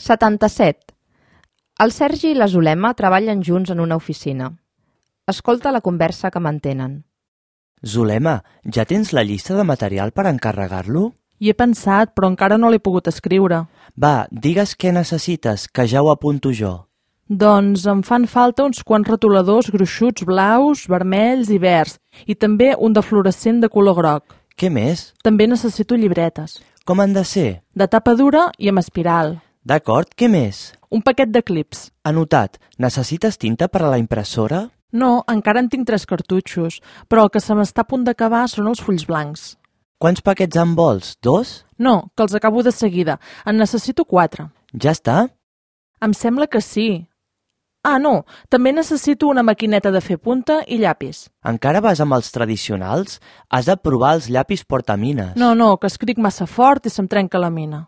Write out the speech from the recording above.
77. El Sergi i la Zulema treballen junts en una oficina. Escolta la conversa que mantenen. Zulema, ja tens la llista de material per encarregar-lo? Hi he pensat, però encara no l'he pogut escriure. Va, digues què necessites, que ja ho apunto jo. Doncs em fan falta uns quants retoladors gruixuts blaus, vermells i verds, i també un de fluorescent de color groc. Què més? També necessito llibretes. Com han de ser? De tapa dura i amb espiral. D'acord, què més? Un paquet de clips. Anotat, necessites tinta per a la impressora? No, encara en tinc 3 cartutxos, però el que se m'està a punt d'acabar són els fulls blancs. Quants paquets en vols? 2? No, que els acabo de seguida. En necessito 4. Ja està? Em sembla que sí. Ah, no, també necessito una maquineta de fer punta i llapis. Encara vas amb els tradicionals? Has de provar els llapis portamines. No, que escric massa fort i se'm trenca la mina.